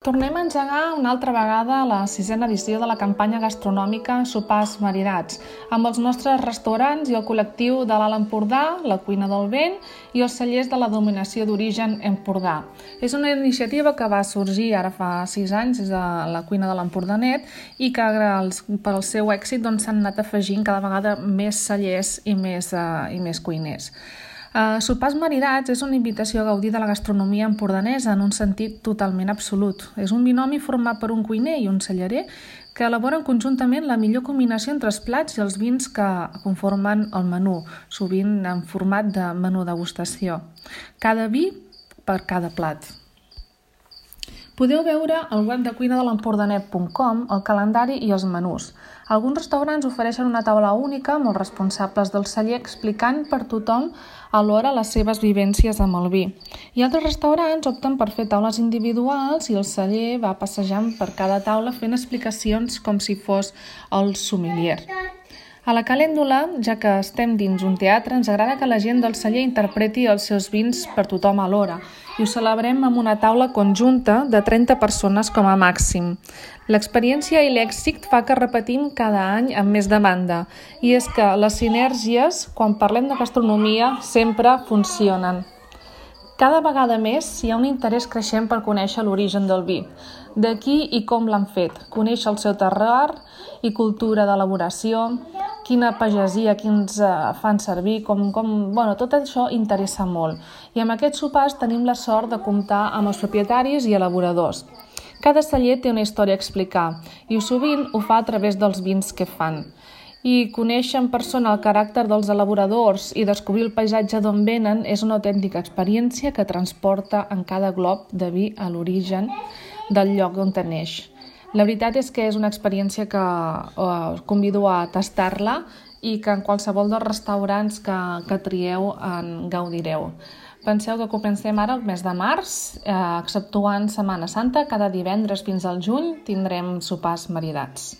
Tornem a engegar una altra vegada la 6a edició de la campanya gastronòmica Sopars Maridats, amb els nostres restaurants i el col·lectiu de l'Alt Empordà, la Cuina del Vent i els cellers de la Denominació d'Origen Empordà. És una iniciativa que va sorgir ara fa 6 anys des de la Cuina de l'Empordanet i que per al seu èxit s'han anat afegint cada vegada més cellers i més cuiners. Sopars Maridats és una invitació a gaudir de la gastronomia empordanesa en un sentit totalment absolut. És un binomi format per un cuiner i un cellerer que elaboren conjuntament la millor combinació entre els plats i els vins que conformen el menú, sovint en format de menú degustació. Cada vi per cada plat. Podeu veure al web de cuinadelempordanet.com el calendari i els menús. Alguns restaurants ofereixen una taula única amb els responsables del celler explicant per tothom alhora les seves vivències amb el vi. I altres restaurants opten per fer taules individuals i el celler va passejant per cada taula fent explicacions com si fos el sommelier. A la calèndula, ja que estem dins un teatre, ens agrada que la gent del celler interpreti els seus vins per tothom alhora i ho celebrem amb una taula conjunta de 30 persones com a màxim. L'experiència i l'èxit fa que repetim cada any amb més demanda i és que les sinergies, quan parlem de gastronomia, sempre funcionen. Cada vegada més hi ha un interès creixent per conèixer l'origen del vi, de qui i com l'han fet, conèixer el seu terroir i cultura d'elaboració, quina pagesia, quins fan servir, tot això interessa molt. I amb aquests sopars tenim la sort de comptar amb els propietaris i elaboradors. Cada celler té una història a explicar i sovint ho fa a través dels vins que fan. I conèixer en persona el caràcter dels elaboradors i descobrir el paisatge d'on venen és una autèntica experiència que transporta en cada glob de vi a l'origen del lloc on neix. La veritat és que és una experiència que us convido a tastar-la i que en qualsevol dels restaurants que trieu en gaudireu. Penseu que comencem ara el mes de març, exceptuant Setmana Santa, cada divendres fins al juny tindrem sopars maridats.